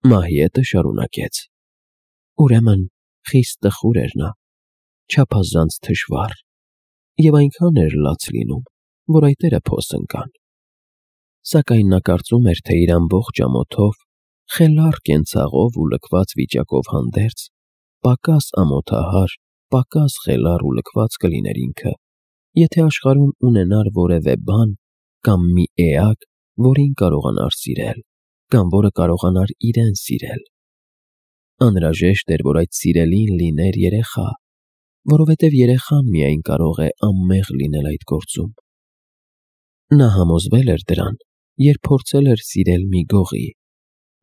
Մահիետը շարունակեց. Ուրեմն խիստ տխուր էր նա, չափազանց թշվառ, և այնքան էր լաց լինում, որ այտերը փոս ընկան։ Սակայն նա կարծում էր, թե իր ամբողջ ամոթով, խելառ կենցաղով ու լքված վիճակով հանդերձ, պակաս ամոթահար, պակաս խելառ ու լքված կլիներ ինքը, եթե աշխարհում ունենար որևէ բան կամ մի էակ, որին կարողանար սիրել, կամ որը կարողանար իրեն սիրել։ Անհրաժեշտ էր, որ այդ սիրելին լիներ երեխա, որովհետև երեխան միայն կարող է անմեղ լինել այդ գործում։ Նա համոզվել էր դրան, երբ փորձել էր սիրել մի գողի,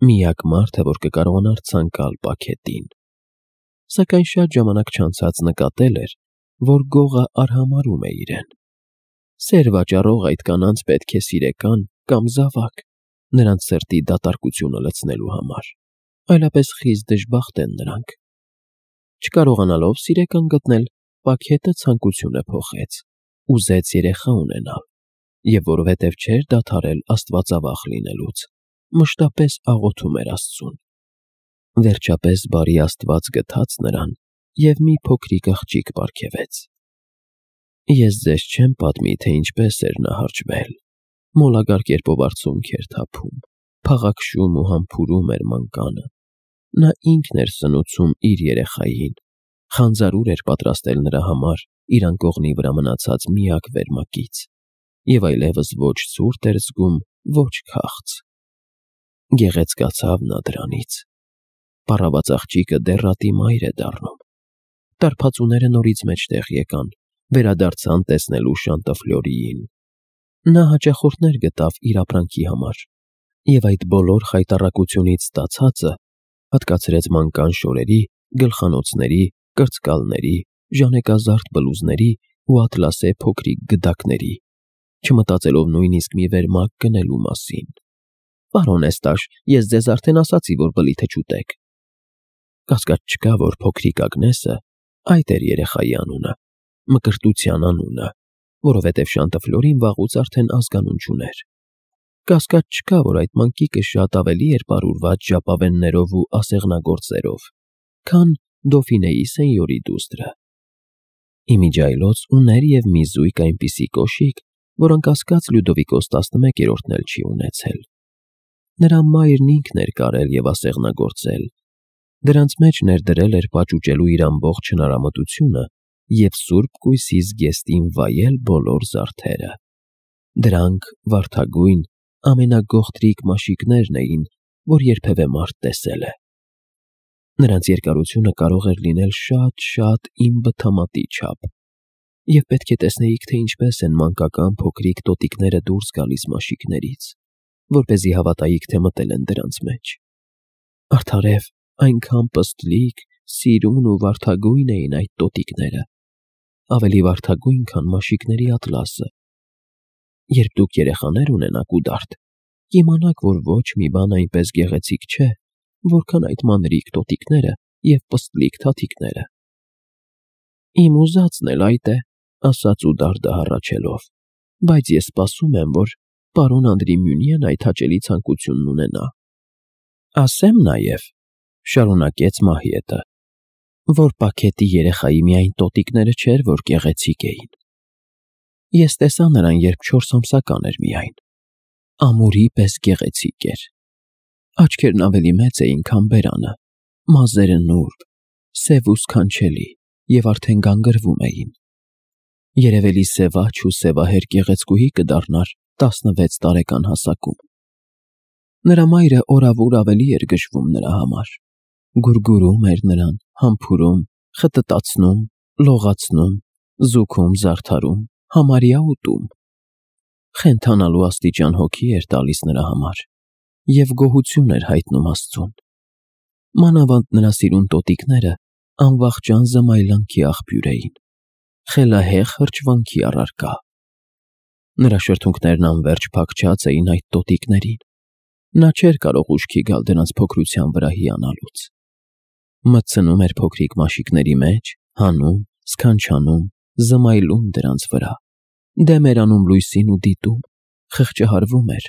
միակ մարդը, որ կկարողանար ցանկալ պաքետին։ Սակայն շատ ժամանակ չանցած նկատել էր, որ գողը արհամարհում է իրեն։ Սեր վաճառող այդ կանանց պետք է սիրեկան կամ զավակ, նրանց սրտի դատարկությունը լցնելու համար, այլապես խիստ դժբախտ են նրանք։ Չկարողանալով սիրեկան գտնել, պաքետը ցանկությունը փոխեց, ուզեց երեխա ունենալ, և որովհետև չէր դադարել աստվածավախ լինելուց, մշտապես աղոթում էր Աստծուն։ Վերջապես բարի Աստված գթաց նրան և մի փոքրիկ աղջիկ պարգևեց։ Ես ձեզ չեմ պատմի, թե ինչպես էր նա հարճվել, մոլագար կերպով արցունք էր թափում, փաղաքշում ու համբուրում էր մանկանը։ Նա ինքն էր սնուցում իր երեխային, խանձարուր էր պատրաստել նրա համար իր անկողնի վրա մնացած միակ վերմակից, և այլևս ոչ ցուրտ էր զգում, ոչ քաղց։ Գեղեցկացավ նա դրանից։ Պառաված աղջիկը դեռ ռատի մայր է դառնում։ Տարբացուները նորից մեջտեղ եկան, վերադարձան տեսնելու Շանտաֆլյորիին։ Նա հաճախորդներ գտավ իր ապրանքի համար, և այդ բոլոր խայտառակությունից ստացածը հատկացրեց մանկան շորերի, գլխանոցների, կրծկալների, ժանեկազարդ բլուզների ու ատլասե փոքրիկ գդակների, չմտածելով նույնիսկ մի վերմակ գնելու մասին։ «Պարոն Էստաշ, ես ձեզ արդեն ասացի, որ բլիթը չուտեք»։ Կասկած չկա, որ փոքրիկ Ագնեսը, այդ էր երեխայի անունը, Մկրտության անունը, որովհետև Շանտաֆլյորին վաղուց արդեն ազգանուն չուներ։ Կասկած չկա, որ այդ մանկիկը շատ ավելի էր պարուրված ժապավեններով ու ասեղնագործերով, քան Դոֆինեի սենյորի դուստրը։ Իմիջիայլոց ուներ և մի զույգ այնպիսի կոշիկ, որ անկասկած Լյուդովիկոս 11-րդն էլ չի ունեցել։ Նրա մայրն ինքն էր կարել և ասեղնագործել, դրանց մեջ ներդրել էր պաճուճելու իր ամբողջ հնարամտությունը և սուրբ կույսի զգեստին վայել բոլոր զարդերը։ Դրանք վարդագույն, ամենագողտրիկ մաշիկներն էին, որ երբևէ մարդ տեսել է։ Նրանց երկարությունը կարող էր լինել շատ իմ բթամատի չափ, և պետք է տեսնեիք, թե ինչպես են մանկական փոքրիկ տոտիկները դուրս գալիս մաշիկներից, որպեսզի հավատայիք, թե մտել են դրանց մեջ։ Արդարև, այնքան պստլիկ, սիրուն ու վարդագույն էին այդ տոտիկները, ավելի վարդագույն, քան մաշիկների ատլասը։ Երբ դուք երեխաներ ունենաք ու դարդ, կիմանաք, որ ոչ մի բան այնպես գեղեցիկ չէ, որքան այդ մանրիկ տոտիկները և պստլիկ թաթիկները։ Իմ ուզածն էլ այդ է, ասաց Ուդարդը հառաչելով, բայց ես սպասում եմ, որ պարոն Անդրիմյունիեն այդ հաճելի ցանկությունն ունենա։ Ասեմ նաև, շարունակեց Մահիետը, որ պաքետի երեխայի միայն տոտիկները չէր, որ գեղեցիկ էին։ Ես տեսա նրան, երբ 4 ամսական էր միայն։ Ամուրի պես գեղեցիկ էր։ Աչքերն ավելի մեծ էին, քան բերանը, մազերը նուրբ, սև ու սքանչելի և արդեն գանգրվում էին։ Երևելի սևաչ ու սևահեր գեղեցկուհի կդառնար 16 տարեկան հասակում։ Նրա մայրը օրավուր ավելի էր գժվում նրա համար, գուրգուրում էր նրան, համբուրում, խտտացնում, լողացնում, զուգում, զարդարում, համարյա ուտում։ Խենթանալու աստիճան հոգի էր տալիս նրա համար և գոհություն էր հայտնում Աստծուն։ Մանավանդ նրա սիրուն տոտիկները անվախճան զմայլանքի աղբյուր էին, խելահեղ հրճվանքի առարկա։ Նրա շրթունքներն անվերջ փակչած էին այդ տոտիկներին։ Նա չէր կարող ուշքի գալ դրանց փոքրության վրա հիանալուց։ Մտցնում էր փոքրիկ մաշիկների մեջ, հանում, սքանչանում, զմայլում դրանց վրա, դեմ էր անում լույսին ու դիտում, խղճահարվում էր,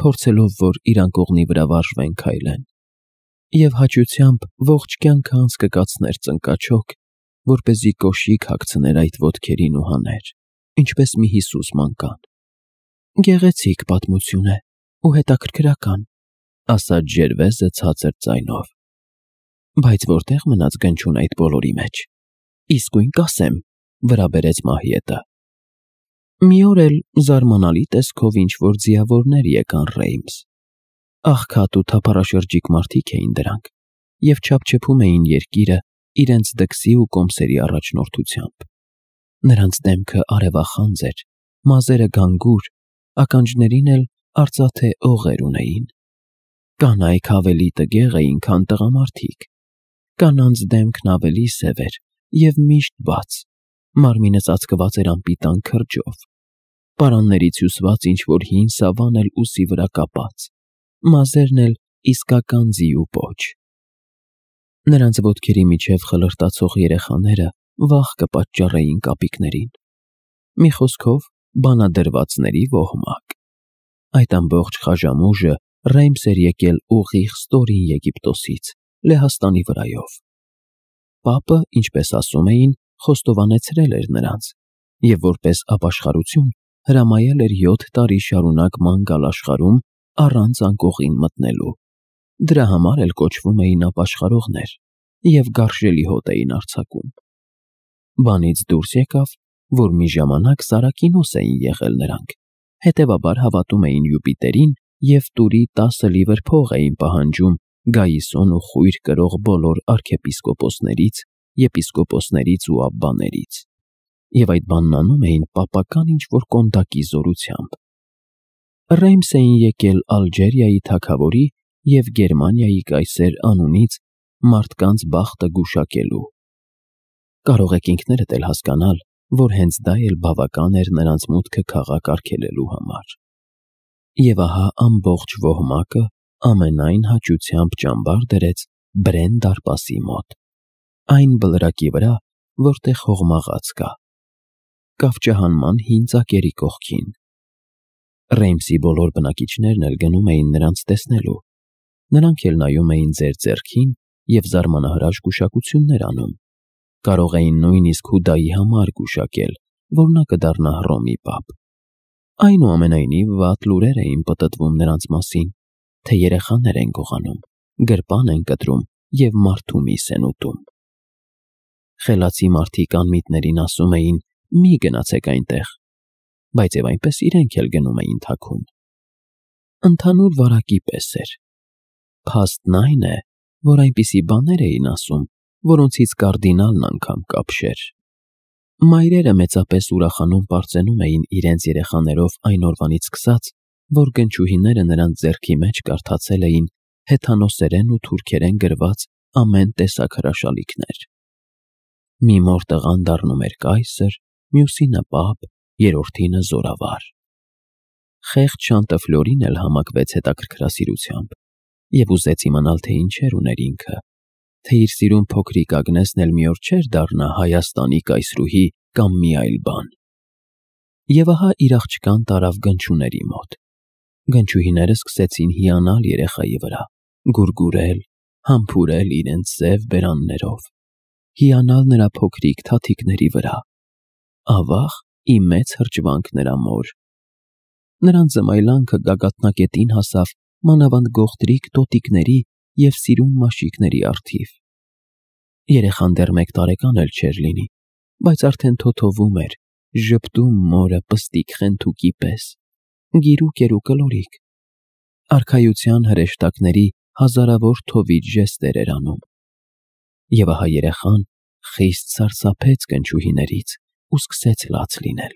փորձելով, որ իր անկողնի վրա վարժվեն քայլեն։ Եվ հաճությամբ ողջ կյանքը անց կկացներ ծնկաչոք, որպեսզի կոշիկ հագցներ այդ ոտքերին ու հաներ, ինչպես մի Հիսուս մանկան։ Գեղեցիկ պատմություն է ու հետաքրքրական, ասաց Ժերվեզը ցածր ձայնով։ Բայց որտեղ մնաց գնչուն այդ բոլորի մեջ։ Իսկույն կասեմ, վրա բերեց Մահիետը։ Մի օր էլ զարմանալի տեսքով ինչ-որ ձիավորներ եկան Ռեյմս։ Աղքատ ու թափառաշրջիկ մարդիկ էին դրանք, և չափչփում էին երկիրը իրենց դքսի ու կոմսերի առաջնորդությամբ։ Նրանց դեմքը արևախանձ էր, մազերը գանգուր, ականջներին էլ արծաթե օղեր ունեին։ Կանայք ավելի տգեղ էին, քան տղամարդիկ։ Կանանց դեմքն ավելի սև էր և միշտ բաց, մարմինը ծածկված էր անպիտան քրջով, պարաններից հյուսված ինչ-որ հին սավան էլ ուսի վրա կապած, մազերն էլ իսկական ձի ու պոչ։ Նրանց ոտքերի միջև խլրտացող երեխաները վախ կպատճառեին կապիկներին։ Մի խոսքով, բանադրվածների ոհմակ։ Այդ ամբողջ խաժամուժը Ռեյմս էր եկել ուղիղ ստորին Եգիպտոսից, Լեհաստանի վրայով։ Պապը, ինչպես ասում էին, խոստովանեցրել էր նրանց, և որպես ապաշխարություն հրամայել էր 7 տարի շարունակ ման գալ աշխարհում առանց անկողին մտնելու։ Դրա համար էլ կոչվում էին ապաշխարողներ և գարշելի հոտ էին արձակում։ Բանից դուրս եկավ, որ մի ժամանակ Սարակինոս էին եղել նրանք, հետևաբար հավատում էին Յուպիտերին և տուրի 10 լիվր փող էին պահանջում Գայիսոն ու խույր կրող բոլոր արքեպիսկոպոսներից, եպիսկոպոսներից ու աբբաներից, և այդ բանն անում էին պապական ինչ-որ կոնդակի զորությամբ։ Ռեյմս էին եկել Ալջերիայի թագավորի և Գերմանիայի կայսեր անունից մարդկանց բախտը գուշակելու։ Կարող եք ինքներդ էլ հասկանալ, որ հենց դա էլ բավական էր նրանց մուտքը քաղաք արգելելու համար։ Եվ ահա ամբողջ ոհմակը ամենայն հաճությամբ ճամբար դրեց Բրեն դարպասի մոտ, այն բլրակի վրա, որտեղ հողմաղաց կա, կավճահանման հին ծակերի կողքին։ Ռեյմսի բոլոր բնակիչներն էլ գնում էին նրանց տեսնելու, նրանք էլ նայում էին ձեր ձեռքին և զարմանահրաշ գուշակություններ անում, կարող էին նույնիսկ Հուդայի համար գուշակել, որ նա կդառնա Հռոմի պապ։ Այնուամենայնիվ վատ լուրեր էին պտտվում նրանց մասին, թե երեխաներ են գողանում, գրպան են կտրում և մարդու միս են ուտում։ Խելացի մարդիկ անմիտներին ասում էին. «Մի գնացեք այնտեղ», բայց և այնպես իրենք էլ գնում էին թաքուն։ Ընդհանուր վարակի պես էր։ Փաստն այն է, որ այնպիսի բաներ էին ասում, որոնցից կարդինալն անգամ կապշեր։ Մայրերը մեծապես ուրախանում պարծենում էին իրենց երեխաներով այն օրվանից սկսած, որ գնչուհիները նրանց ձեռքի մեջ կարդացել էին հեթանոսերեն ու թուրքերեն գրված ամեն տեսակ հրաշալիքներ։ Մի մոր տղան դառնում էր կայսր, մյուսինը պապ, երրորդինը զորավար։ Խեղճ Շանտըֆլյորին էլ համակվեց հետաքրքրասիրությամբ և ուզեց իմանալ, թե ինչեր ուներ ինքը, թե իր սիրուն փոքրիկ Ագնեսն էլ մի օր չէր դառնա Հայաստանի կայսրուհի կամ մի այլ բան։ Եվ ահա իր աղջկան տարավ գնչուների մոտ։ Գնչուհիները սկսեցին հիանալ երեխայի վրա, գուրգուրել, համբուրել իրենց սև բերաններով, հիանալ նրա փոքրիկ թաթիկների վրա։ Ավաղ, ի մեծ հրճվանք նրա մոր։ Նրանց զմայլանքը գագաթնակետին հասավ մանավանդ գողտրիկ տոտիկների և սիրուն մաշիկների առթիվ։ Երեխան դեռ 1 տարեկան էլ չէր լինի, բայց արդեն թոթովում էր, ժպտում մորը պստիկ խենթուկի պես, գիրուկ էր ու կլորիկ, արքայության հրեշտակների հազարավոր թովիչ ժեստեր էր անում։ Եվ ահա երեխան խիստ սարսափեց գնչուհիներից ու սկսեց լաց լինել։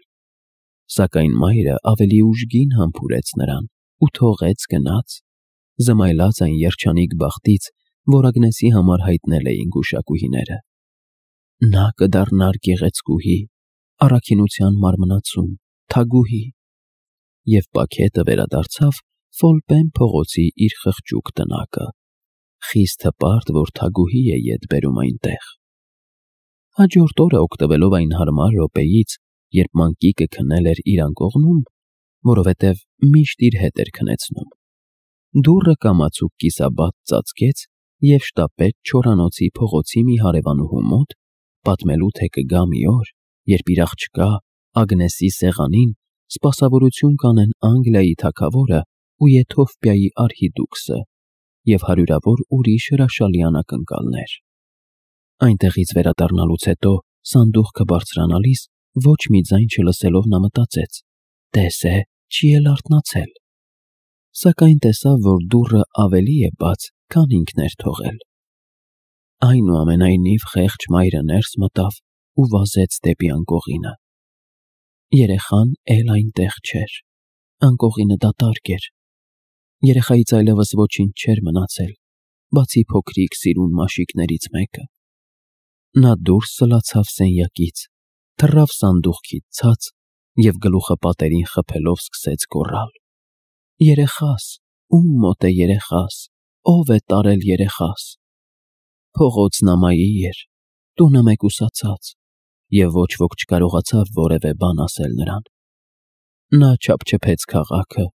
Սակայն մայրը ավելի ուժգին համբուրեց նրան ու թողեց գնաց, զմայլած այն երջանիկ բախտից, որ Ագնեսի համար հայտնել էին գուշակուհիները։ Նա կդառնար գեղեցկուհի, առաքինության մարմնացում, թագուհի։ Եվ պաքետը վերադարձավ Ֆոլպեն փողոցի իր խղճուկ տնակը, խիստ հպարտ, որ թագուհի է ետ բերում այնտեղ։ Հաջորդ օրը, օգտվելով այն հարմար րոպեից, երբ մանկիկը քնել էր իր անկողնում, որովհետև միշտ իր հետ էր քնեցնում, դուռը կամացուկ կիսաբաց ծածկեց և շտապեց չորանոցի փողոցի մի հարևանուհու մոտ, պատմելու, թե կգա մի օր, երբ իր աղջկա Ագնեսի սեղանին սպասավորություն կանեն Անգլիայի թագավորը ու Եթովպիայի արհիդուքսը և հարյուրավոր ուրիշ հրաշալի անակնկալներ։ Այնտեղից վերադառնալուց հետո սանդուղքը բարձրանալիս ոչ մի ձայն չլսելով նա մտածեց. «Տես է, չի էլ արթնացել»։ Սակայն տեսավ, որ դուռը ավելի է բաց, քան ինքն էր թողել։ Այնուամենայնիվ խեղճ մայրը ներս մտավ ու վազեց դեպի անկողինը։ Երեխան էլ այնտեղ չէր։ Անկողինը դատարկ էր։ Երեխայից այլևս ոչինչ չէր մնացել, բացի փոքրիկ սիրուն մաշիկներից մեկը։ Նա դուրս սլացավ սենյակից, թռավ սանդուղքից ցած և գլուխը պատերին խփելով սկսեց գոռալ. «Երեխաս, ո՞ւմ մոտ է երեխաս, ո՞վ է տարել երեխաս»։ Փողոցն ամայի էր, տունը մեկուսացած, և ոչ ոք չկարողացավ որևէ բան ասել նրան։ Նա չափչփեց քաղաքը,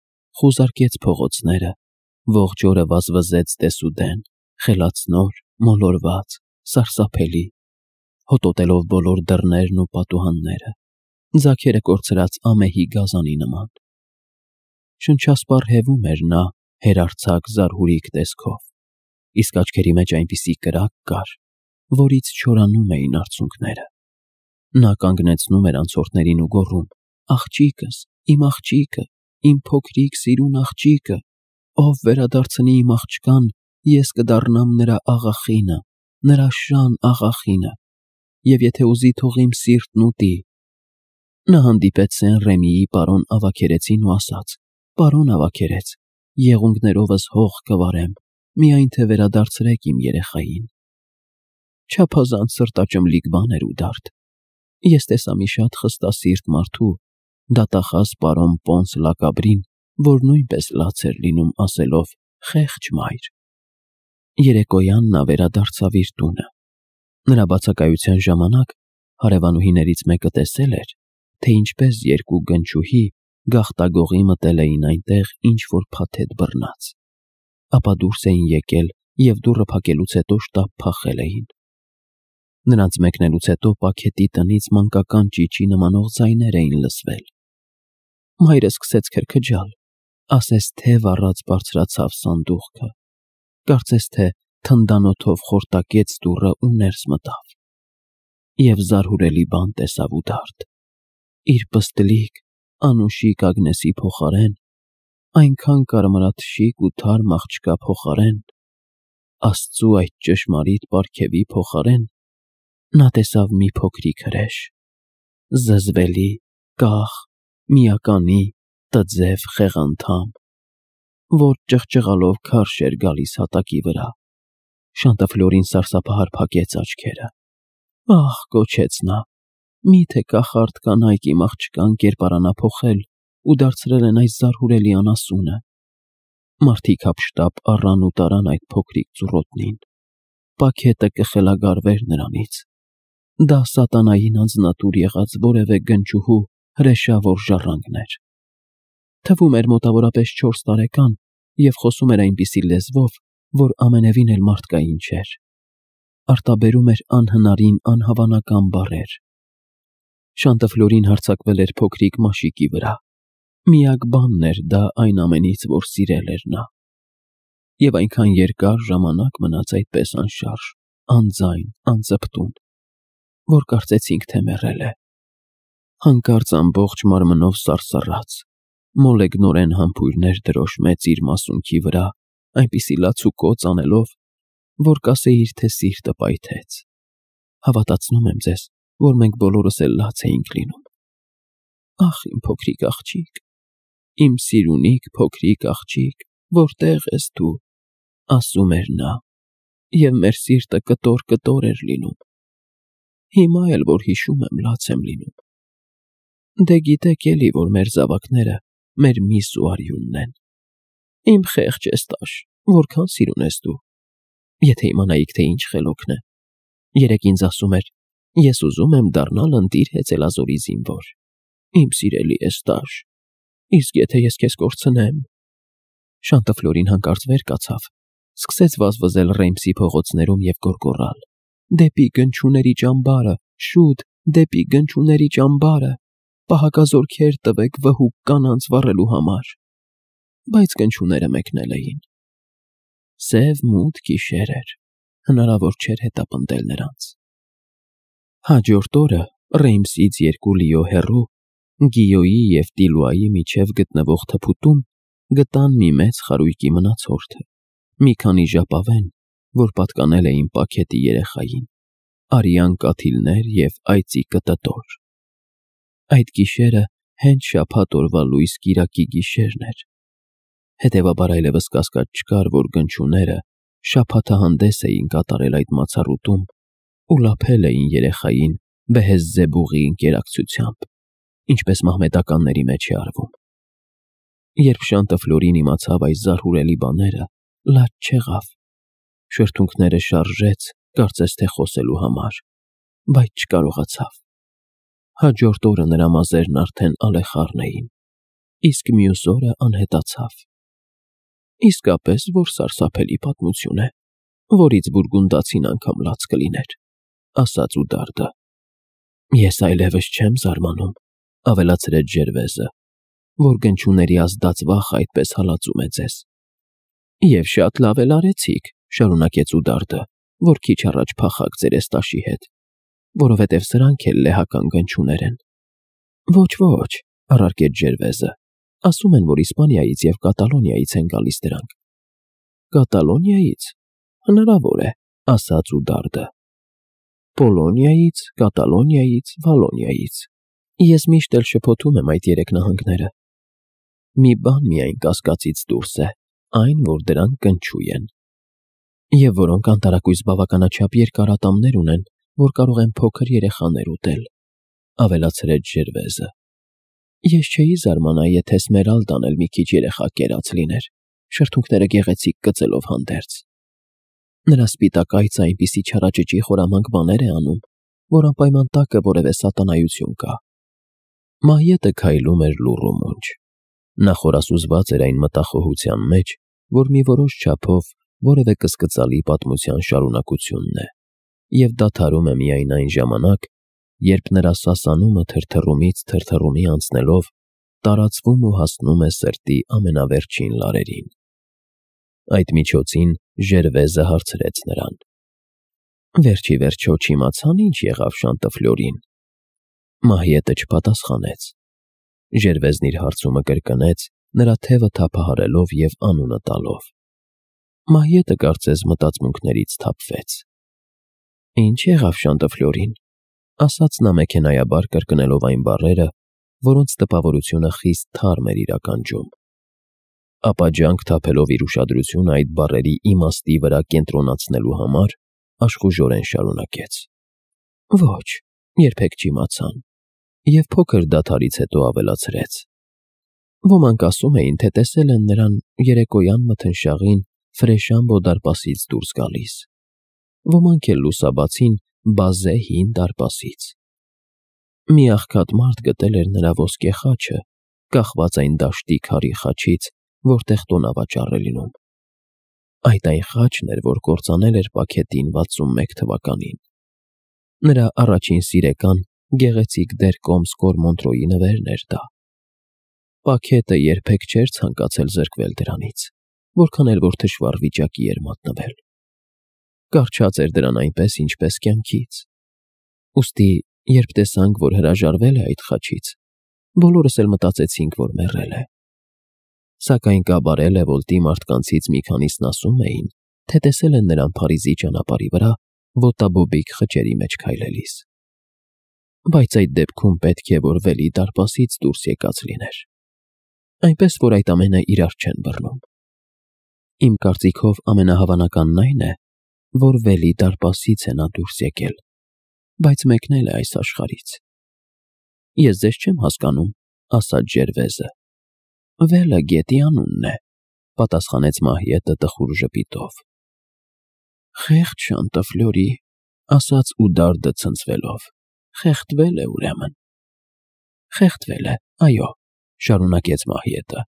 խուզարկեց փողոցները, ողջ օրը վազվզեց դեսուդեն, խելացնոր, մոլորված, սարսափելի, հոտոտելով բոլոր դռներն ու պատուհանները, ձագերը կորցրած ամեհի գազանի նման։ Շնչասպառ հևում էր նա հերարձակ զարհուրիկ տեսքով, իսկ աչքերի մեջ այնպիսի կրակ կար, որից չորանում էին արցունքները։ Նա կանգնեցնում էր անցորդներին ու գոռում. «Աղջիկս, իմ աղջիկը, իմ փոքրիկ սիրուն աղջիկը, ով վերադարձնի իմ աղջկան, ես կդառնամ նրա աղախինը, նրա շան աղախինը, և եթե ուզի, թող իմ սիրտն ուտի»։ Նա հանդիպեց Սեն-Ռեմիի պարոն ավագերեցին ու ասաց. «Պարոն ավագերեց, եղունգներովս հող կվարեմ, միայն թե վերադարձրեք իմ երեխային»։ Չափազանց սրտաճմլիկ բան էր ու դարդ։ Ես տեսա մի շատ խստասիրտ մարդու, դատախազ պարոն Պոնս Լակաբրին, որ նույնպես լաց էր լինում ասելով. «Խեղճ մայր»։ Երեկոյան նա վերադարձավ իր տունը։ Նրա բացակայության ժամանակ հարևանուհիներից մեկը տեսել էր, թե ինչպես երկու գնչուհի գաղտագողի մտել էին այնտեղ ինչ-որ փաթեթ բռնած, ապա դուրս էին եկել և դուռը փակելուց հետո շտապ փախել էին։ Նրանց մեկնելուց հետո պաքետի տնից մանկական ճիչի նմանող ձայներ էին լսվել։ Մայրը սկսեց քրքջալ, ասես թև առած բարձրացավ սանդուղքը, կարծես թե թնդանոթով խորտակեց դուռը ու ներս մտավ։ Եվ զարհուրելի բան տեսավ ու դարդ. իր պստլիկ, անուշիկ Ագնեսի փոխարեն, այնքան կարմրաթշիկ ու թարմ աղջկա փոխարեն, Աստծու այդ ճշմարիտ պարգևի փոխարեն, նա տեսավ մի փոքրիկ հրեշ, զզվելի, կախ, միականի, տձև խեղանդամ, որ ճղճղալով քարշ էր գալիս հատակի վրա։ Շանտաֆլորին սարսափահար փակեց աչքերը։ «Ահ», գոչեց նա, «միթե կախարդ կանայք իմ աղջկան կերպարանափոխել ու դարձրել են այս զարհուրելի անասունը»։ Մարդիկ հափշտապ առան ու տարան այդ փոքրիկ ծուռոտնին։ Պաքետը կխելագարվեր նրանից։ Դա սատանային անձնատուր եղած որևէ գնչուհու հրեշավոր ժառանգն էր։ Թվում էր մոտավորապես 4 տարեկան և խոսում էր այնպիսի լեզվով, որ ամենևին էլ մարդկային չէր։ Արտաբերում էր անհնարին անհավանական բառեր։ Շանտաֆլորին հարձակվել էր փոքրիկ մաշիկի վրա։ Միակ բանն էր դա այն ամենից, որ սիրել էր նա։ Եվ այնքան երկար ժամանակ մնաց այդպես անշարժ, անձայն, անծպտուն, որ կարծեցինք, թե մեռել է։ Հանկարծ ամբողջ մարմնով սարսռաց, մոլեգնորեն համբույրներ դրոշմեց իր մասունքի վրա, այնպիսի լաց ու կոծ անելով, որ կասեիր, թե սիրտը պայթեց։ Հավատացնում եմ ձեզ, որ մենք բոլորս էլ լաց էինք լինում։ «Ախ, իմ փոքրիկ աղջիկ, իմ սիրունիկ փոքրիկ աղջիկ, որտե՞ղ ես դու», ասում էր նա, և մեր սիրտը կտոր էր լինում։ Հիմա էլ որ հիշում եմ, լաց եմ լինում։ Դե գիտեք էլի, որ մեր զավակները մեր միս ու արյունն են։ Իմ խեղճ էստաշ, որքան սիրուն ես դու։ Եթե իմանայիք, թե ինչ խելոքն է։ Երեկ ինձ ասում էր. «Ես ուզում եմ դառնալ ընտիր հեծելազորի զինվոր»։ Իմ սիրելի էստաշ, իսկ եթե ես քեզ կորցնեմ։ Շանտաֆլորին հանկարծ վեր կացավ, սկսեց վազվզել Ռեյմսի փողոցներում և գոռգոռալ. «Դեպի գնչուների ճամբարը, շուտ, դեպի գնչուների ճամբարը, պահակազորքեր տվեք վհուկ կանանց վառելու համար»։ Բայց գնչուները մեկնել էին։ Սև մութ գիշեր էր, հնարավոր չէր հետապնդել նրանց։ Հաջորդ օրը Ռեյմսից 2 լիո հեռու, Գիոյի և Տիլուայի միջև գտնվող թփուտում գտան մի մեծ խարույկի մնացորդը, մի քանի ժապավեն, որ պատկանել էին Պաքետի երեխային, արյան կաթիլներ և այծի կտտոր։ Այդ գիշերը հենց շաբաթ օրվա լույս կիրակի գիշերն էր։ Հետևաբար այլևս կասկած չկար, որ գնչուները շաբաթահանդես էին կատարել այդ մացառուտում ու լափել էին երեխային Բեհեզզեբուղի ընկերակցությամբ, ինչպես մահմեդականների մեջ է արվում։ Երբ Շանտաֆլորին իմացավ այս զարհուրելի բաները, լաց չեղավ, շրթունքները շարժեց, կարծես թե խոսելու համար, բայց չկարողացավ։ Հաջորդ օրը նրա մազերն արդեն ալեխառն էին, իսկ մյուս օրը անհետացավ։ Իսկապես, որ սարսափելի պատմություն է, որից բուրգունդացին անգամ լաց կլիներ, ասաց Ուդարդը։ Ես այլևս չեմ զարմանում, ավելացրեց Ժերվեզը, որ գնչուների ազդած վախը այդպես հալածում է ձեզ։ Եվ շատ լավ էլ արեցիք, շարունակեց Ուդարդը, որ քիչ առաջ փախաք ձեր էստաշի հետ, որովհետև սրանք էլ լեհական գնչուներ են։ Ոչ, առարկեց Ժերվեզը, ասում են, որ Իսպանիայից և Կատալոնիայից են գալիս դրանք։ Կատալոնիայից։ Հնարավոր է, ասաց Ուդարդը։ Պոլոնիայից, Կատալոնիայից, Վալոնիայից։ Ես միշտ էլ շփոթում եմ այդ 3 նահանգները։ Մի բան միայն կասկածից դուրս է, այն, որ դրանք գնչու են։ Եվ որոնք անտարակույս բավականաչափ երկար ատամներ ունեն, որ կարող են փոքր երեխաներ ուտել, ավելացրեց Ժերվեզը։ Ես չէի զարմանա, եթե Սմերալդան էլ մի քիչ երեխա կերած լիներ, շրթունքները գեղեցիկ կծելով հանդերձ։ Նրա սպիտակ այծը այնպիսի չարաճճի խորամանկ բաներ է անում, որ անպայման տակը որևէ սատանայություն կա։ Մահյետը քայլում էր լուռ ու մունջ։ Նա խորասուզված էր այն մտախոհության մեջ, որ մի որոշ չափով որևէ կսկծալի պատմության շարունակությունն է, և դադարում է միայն այն ժամանակ, երբ նրա սասանումը թրթռումից թրթռումի անցնելով տարածվում ու հասնում է սրտի ամենավերջին լարերին։ Այդ միջոցին Ժերվեզը հարցրեց նրան. Վերջի վերջո չիմացան ինչ եղավ Շանտաֆլորին։ Մահյետը չպատասխանեց։ Ժերվեզն իր հարցումը կրկնեց, նրա թևը թափահարելով և անունը տալով։ Մահյետը կարծես մտածմունքներից թափվեց։ Ինչ եղավ Շանտաֆլորին, ասաց նա մեքենայաբար կրկնելով այն բառերը, որոնց տպավորությունը խիստ թարմ էր իր ականջում։ Ապա ջանք թափելով իր ուշադրությունը այդ բառերի իմաստի վրա կենտրոնացնելու համար, աշխուժորեն շարունակեց. Ոչ, երբեք չիմացան, և փոքր դադարից հետո ավելացրեց. Ոմանք ասում էին, թե տեսել են նրան երեկոյան մթնշաղին Ֆրեշամբո դարպասից դուրս գալիս, ոմանք էլ լուսաբացին Բազե հին դարպասից։ Մի աղքատ մարդ գտել էր նրա ոսկե խաչը, կախված այն դաշտի քարի խաչից, որտեղ տոնավաճառ է լինում։ Այդ այն խաչն էր, որ կործանել էր Պաքետին 61 թվականին։ Նրա առաջին սիրեկան գեղեցիկ դեր Կոմսկոր Մոնտրոյի նվերն էր դա։ Պաքետը երբեք չէր ցանկացել զրկվել դրանից, որքան էլ որ թշվառ վիճակի էր մատնվել։ Կառչած էր դրան այնպես, ինչպես կյանքից։ Ուստի, երբ տեսանք, որ հրաժարվել է այդ խաչից, բոլորս էլ մտածեցինք, որ մեռել է։ Սակայն Կաբարե Լևոլտի մարդկանցից մի քանիսն ասում էին, թե տեսել են նրան Փարիզի ճանապարհի վրա ոտաբոբիկ խճերի մեջ քայլելիս։ Բայց այդ դեպքում պետք է, որ Վելի դարպասից դուրս եկած լիներ։ Այնպես, որ այդ ամենը իրար չեն բռնում։ Իմ կարծիքով ամենահավանականն այն է, որ Վելի դարպասից է նա դուրս եկել, բայց մեկնել է այս աշխարհից։ Ես ձեզ չեմ հասկանում, ասաց Ժերվեզը։ Վելը գետի անունն է, պատասխանեց Մահյետը տխուր ժպիտով։ Խեղճ Շանտաֆլորի, ասաց Ուդարդը ցնցվելով։ Խեղդվել է ուրեմն։ Խեղդվել է, այո, շարունակեց Մահյետը։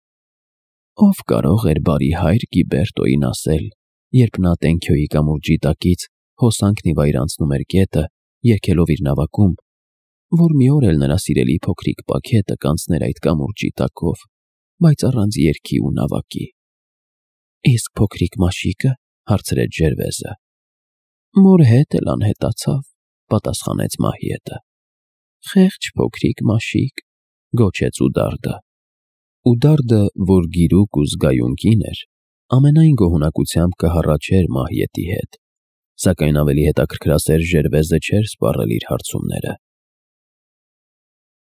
Ով կարող էր բարի հայր Գիբերտոյին ասել, երբ նա Տենքյոյի կամուրջի տակից հոսանքն ի վայր անցնում էր գետը, երգելով իր նավակում, որ մի օր էլ նրա սիրելի փոքրիկ պաքետը կանցներ այդ կամուրջի տակով, բայց առանց երգի ու նավակի։ Իսկ փոքրիկ մաշիկը, հարցրեց Ջերվեզը։ Մոր հետ էլ անհետացավ, պատասխանեց Մահիետը։ Խեղճ փոքրիկ մաշիկ, գոչեց Ուդարդը։ Ուդարդը, որ գիրուկ ու զգայուն կին էր, ամենայն գոհունակությամբ կհառաչեր Մահիետի հետ, սակայն ավելի հետաքրքրասեր Ջերվեզը չէր սպառել իր հարցումները։